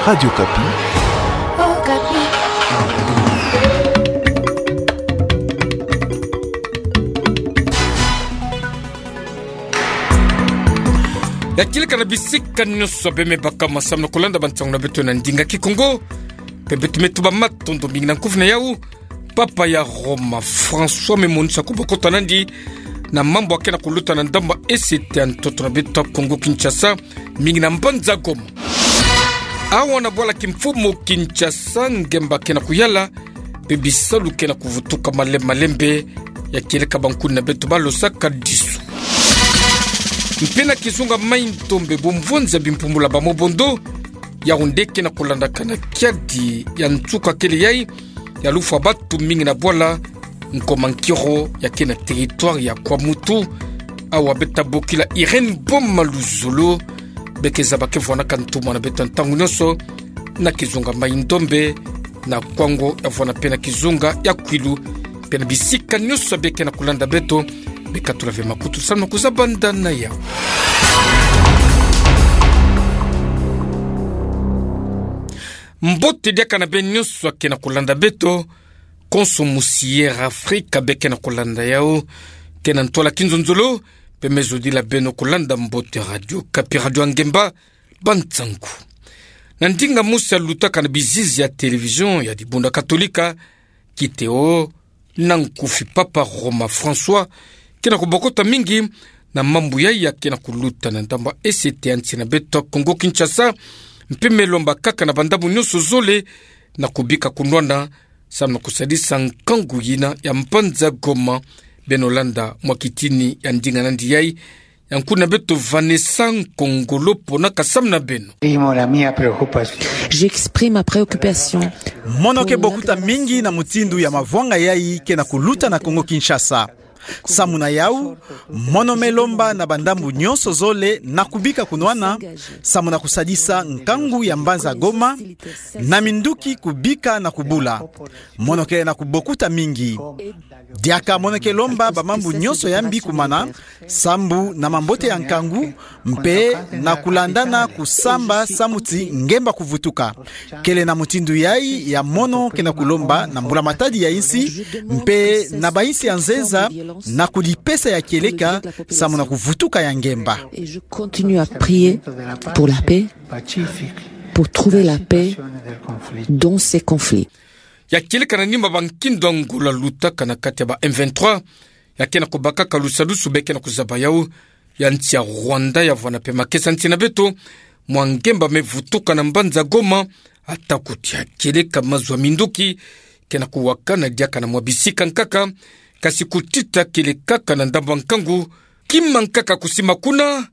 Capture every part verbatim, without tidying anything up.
Radio Okapi. Ya kieleka na bisika nyonso bemebaka ma samna kolanda bansangu na beto na ndinga Kikongo. Pe beto me tuba matondo mingi na nkufi na yau Papa ya Roma François me monisa kubokota nandi na mambu akena kuluta na ndambu ya E C T ya ntoto na beto Kongo Kinshasa, mingi na mbanza Goma. Awa na bwala kimfumu Kinshasa, ngemba kena kuyala, pe bisalu kena kuvutuka malembe malembe, ya kieleka bankuni na beto balosaka disu. Mpe na kizunga Mai-Ndombe, bumvonza bimpumbula ba mobondo, yau nde kena kulandakana kiadi ya nsuka kele yai, ya lufwa batu mingi na bwala Nkoma Nkiro ya kena territoire ya Kwamouth. Awa beta bokila Irène Boma Luzolo, beke zaba ke vwanaka ntumwa na beto ntangu nyonso na kizunga Mai-Ndombe, na Kwango ya vwana pe na kizunga ya Kwilu, pe na bisika nyonso beke na kulanda beto, beka tula ve makutu samna kuzabanda na yau. Mbote diaka na beno nyonso akena kulanda beto, konso musi Air Afrika beke na kulanda yau, kena ntwala kinzonzolo, pe me zodila beno kulanda mbote Radio Okapi, radio ya ngemba, bansangu. Na ndinga mosi alutaka na bizizi ya télévision ya Dibunda Katolika, kiteho na nkufi Papa Roma François, kena kubokota mingi na mambu yai akena kuluta na ndambu ya E C T ya nsi na beto Kongo Kinshasa, mpe me lomba kaka na bandambu nyonso zole na kubika kunwana, samna kusadisa nkangu yina ya mbanza Goma. Beno landa mwa kitini ya ndinga nandi yai, ya nkuni na beto Vanessa Nkongolo pona kasamna beno. Primo, la mia preocupación. J'exprime ma préoccupation. Mono ke bokuta mingi na mutindu ya mavwanga yai kena kuluta na Kongo Kinshasa. Samu na yau, mono me lomba na bandambu nyonso zole na kubika kunwana, samu na kusadisa nkangu ya mbanza Goma, na minduki kubika na kubula. Mono ke na kubokuta mingi. Diaka mono ke lomba bamambu nyonso ya mbi kumana, sambu na mambote ya nkangu, mpe na kulandana kusamba samu ti ngemba kuvutuka. Kele na mutindu yai ya mono kena kulomba na mbula matadi ya insi, mpe na bainsi ya nzenza, na kudipesa ya kieleka, samu na kuvutuka ya ngemba. Et je continue à prier pour la paix, pour trouver la paix dans ces conflits. Ya kieleka na nima ba nkindo ngolo lutaka na kati ya ba M vingt-trois, ya kena kubakaka lusadusu beke na kuzaba yau, ya nsi ya Rwanda ya vwana pe makesa nsi na beto, mwa ngemba me vutuka na mbanza Goma, ata kuti ya kieleka mazu ya minduki kena kuwakana diaka na mwa bisika nkaka, kasi kutita kieleka kaka na ndambu ya nkangu, kima nkaka kusima kuna,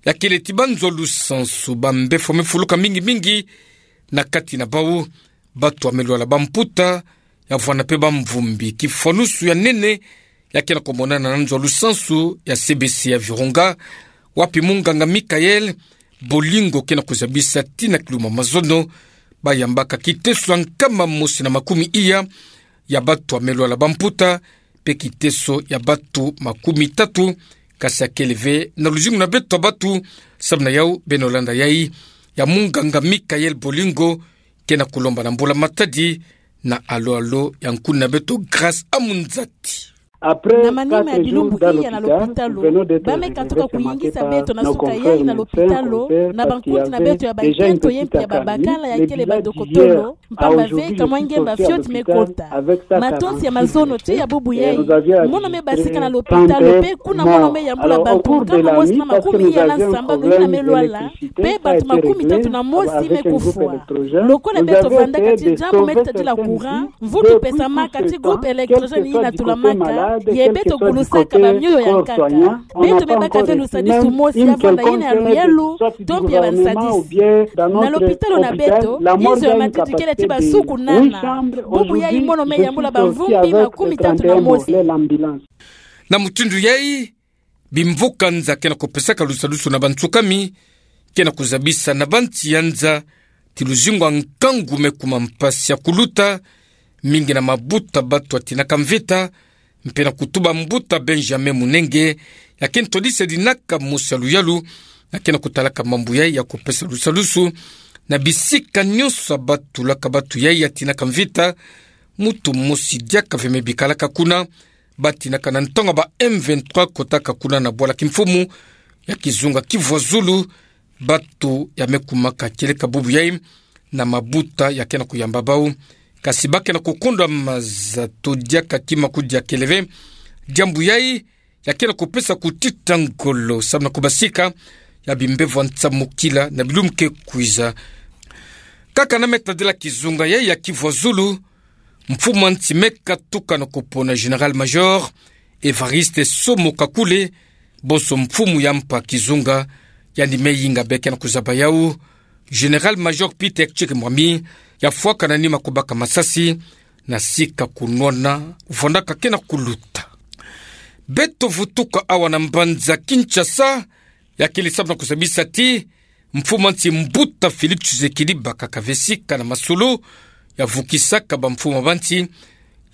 ya kele ti banzo lusansu ba mbefo me fuluka mingi mingi, na kati na bau, batu ya melwala bamputa, ya vwana pe bamvumbi. Kifwanusu ya nene, ya kena kumonana na nzo lusansu ya C B C ya Virunga, wapi munganga Michael Bolingo kena kuzabisa ti na kiluma mazono, bayambaka kiteso ya nkama mosi na makumi iya ya batu ya melwala bamputa, pe kiteso ya batu makumi tatu, kasi ya kele ve na luzingu na beto ya batu. Samu na yau beno landa yai ya munganga Michael Bolingo, kena kulomba na mbula matadi na alo alo ya nkuni na beto Grace Amunzati. Na manima ya bilumbu iya na lopitalo, ba me katuka kuyingisa beto na suka yai na lopitalo, na bankundi na beto ya bankento ye mpe ya babakala ya kele badokotolo, mpamba ve kamwa ngemba fioti me kota. Matonsi ya mazono ti ya bubu yai, mono me basika na lopitalo, pe kuna mono me yambula bato nkama mosi na makumi iya na nsambanu yina me lwala, pe bato makumi tatu na mosi me kufwa. Lokola beto vandaka ti diambu me tadila courant, mvutu pesamaka ti groupe électrogène yina tulamaka, ye beto gulusaka bamioyo ya nkaka. Beto me baka ve lusadisu mosi ya vanda yina ya luyalu, to mpe ya bansadisi. Na lopitalo na beto, inzo ya matiti kele ti basuku nana. Bubu yai mono me yambula bamvumbi makumi tatu na mosi. Na mutindu yai, bimvuka-nza kena kupesaka lusadusu na bansukami, kena kuzabisa na bansi ya nza ti luzingu ya nkangu me kuma mpasi ya kuluta, mingi na mabuta batu atinaka mvita, mpe na kutuba mbuta Benjamin Munenge, ya kena todisa dinaka mosi ya luyalu, ya kena kutalaka mambu yai ya kupesa lusadusu Na bisika nyonso batulaka bato yai ya tinaka mvita, moto mosi diaka ve me bikalaka kuna, batinaka na ntango ba M vingt-trois kotaka kuna na bwala kimfumu ya kizunga Kivu ya Zulu, bato ya me kumaka kieleka bubu yai na mabuta ya ke na kuyamba bau. Kasi ba ke na kukondwa maza to diaka kima kudia kele ve. Diambu yai ya ke na kupesa kutita ngolo samu na kubasika ya bimbevo ya nsamukila na bilumbu ke kwiza. Kaka na me tadila kizunga yai ya Kivu ya Zulu, mfumu a nsi me katuka na kupona Général-Major Évariste Somo Kakule, bonso mfumu ya mpa kizunga, yandi me yinga be ke na kuzaba yau. Général-Major Peter Tchik Mwami ya fwaka na nima kubaka masasi, na sika kunwana, vwandaka ke na kuluta. Beto vutuka awa na mbanza Kinshasa, ya kele samu na kuzabisa ti mfumu a nsi mbuta Félix Tshisekedi bakaka ve sika na masolo ya vukisaka bamfumu ba nsi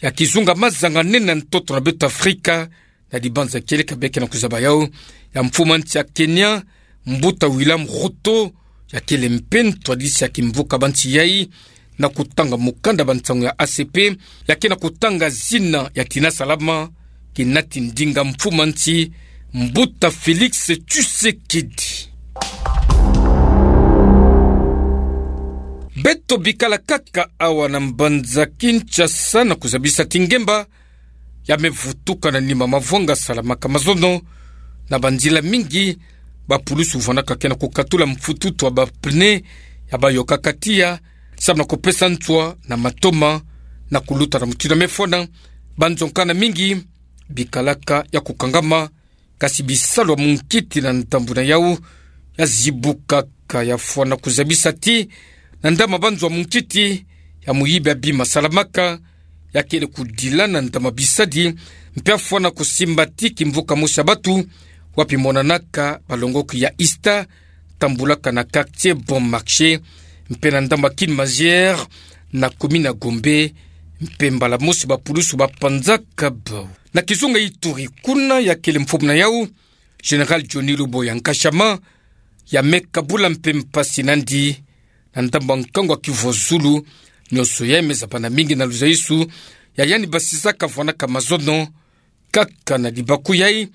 ya kizunga mazanganene na ntoto na beto Afrika, na dibanza kieleka be ke na kuzaba yau. Ya mfumu a nsi ya Kenya, mbuta William Ruto, ya kele mpe ntwadisi ya kimvuka ba nsi yai, na kutanga mukanda ba nsangu ya A C P, ya ke na kutanga zina ya tina salama, kinati ndinga mfumu a nsi mbuta Félix Tshisekedi. Beto bikala kaka awa na mbanza Kinshasa na kuzabisa ti ngemba ya me vutuka na nima mavwanga salamaka mazono na banzila mingi. Bapulusu vwandaka ke na kukatula mfututu wa bapneu ya bayokaka tiya, samu na kupesa nswa na matoma na kuluta na mutindu ya me fwana. Banzo nkana mingi bikalaka ya kukangama, kasi bisalu ya munkiti na ndambu na yau ya zibukaka. Ya fwana kuzabisa ti na ndama banzo ya munkiti, ya muyibi ya bima salamaka ya kele kudila na ndama bisadi, mpe ya fwana kusimba ti kimvuka mosi ya bato, wapi monanaka balongoki ya Ista, tambulaka na quartier Bon Marché, mpe na ndama Kin Mazière, na commune ya Gombe, mpe mbala mosi bapulusu bapanzaka bau. Na kizunga Ituri kuna, ya kele mfumu na yau, Général Johnny Luboya Nkashama, ya me kabula mpe mpasi nandi na ndambu ya nkangu ya Kivu ya Zulu. Nyonso yai me zabana mingi na luzaisu ya yandi basisaka vwanaka mazono kaka na libaku yai.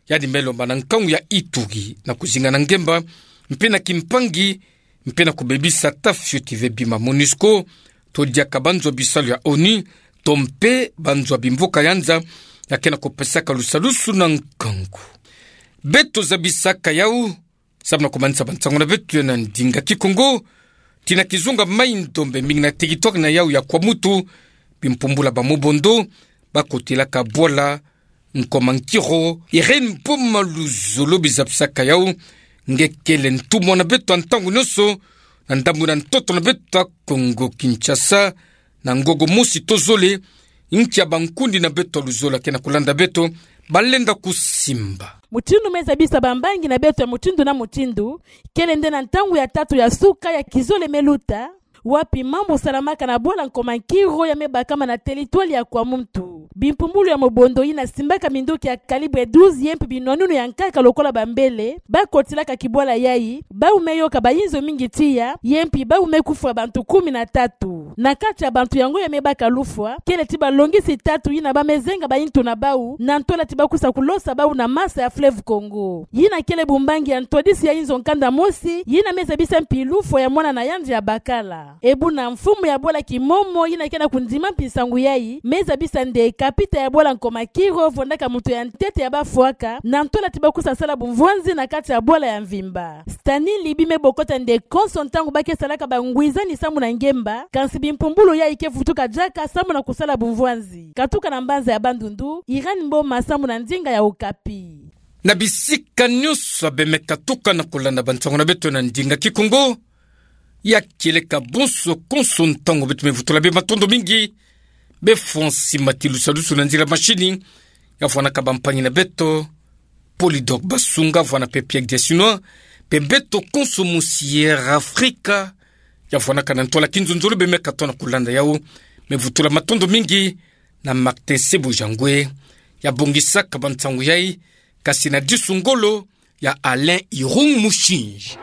Yandi me lomba na nkangu ya Ituri na kuzinga na ngemba, mpe na kimpangi, mpe na kubebisa ata fioti ve bima MONUSCO, to diaka banzo ya bisalu ya ONU, to mpe banzo ya bimvuka ya nza ya ke na kupesaka lusalusu na nkangu. Beto zabisaka yau samu na kumanisa bansangu na beto na ndinga Kikongo, ti na kizunga Mai-Ndombe, mingi na territoire na yau ya Kwamutu, bimpumbulu ya ba Mobondo bakotelaka bwala Nkoma Nkiro. Irène Boma Luzolo, bizabisaka yau nge kele ntumwa na beto ya ntangu nyonso na ndambu na ntoto na beto ya Kongo Kinshasa, na ngongo mosi to zole, nki ya bankundi na beto ya luzolo ya ke na kulanda beto balenda kusimba. Mutindu me zabisa bambangi na beto ya mutindu na mutindu, kele nde na ntangu ya tatu ya suka ya kizole me luta, wapi mambu salamaka na bwala Nkoma Nkiro ya me bakama na territoire ya Kwamutu. Bimpumbulu ya Mobondo yina simbaka minduki ya calibre douze ye mpe binwanunu ya nkaka lokola bambele, bakotelaka kibwala yai, bau me yoka bayinzo mingi tiya, ye mpe bau me kufwa bantu kumi na tatu. Na kati ya bantu yango ya me baka lufwa, kele ti balongisi tatu yina ba me zenga bayintu na bau, na ntola ti bakwiza kulosa bau na masa ya fleuve Congo. Yina kele bumbangi ya ntwadisi ya inzo nkanda mosi, yina me zabisa mpi lufwa ya mwana na yandi ya bakala. E buna mfumu ya bwala Kimomo, yina ke na kundima mpi nsangu yai, me zabisa nde kapita ya bwala Nkoma Nkiro vwandaka muntu ya ntete ya bafwaka, na ntola ti bakwiza sala bumvwanzi na kati ya bwala ya mvimba. Stanley Libi me bokota nde konso ntangu ba ke salaka bangwizani samu na ngemba, kansi bimpumbulu yai ke vutuka diaka samu na kusala bumvwanzi. Katuka na mbanza ya Bandundu, Irène Mboma samu na ndinga ya Okapi. Na bisika nyonso be me katuka na kulanda bansangu na beto na ndinga Kikongo, ya kieleka bonso konso ntangu beto me vutula be matondo mingi. Be fwa nsima ti lusadusu na nzila mashini ya vwanaka bampangi na beto, Polydor Basunga, vwana mpe Pierre Dessinois, mpe beto konso mosi ya Air Afrika ya vwanaka na ntwala kinzonzolo be me katuka na kulanda yau. Me vutula matondo mingi na Martin Sebujangwe ya bongisaka bansangu yai, kasi na disu ngolo ya Alain Irung Mushinji.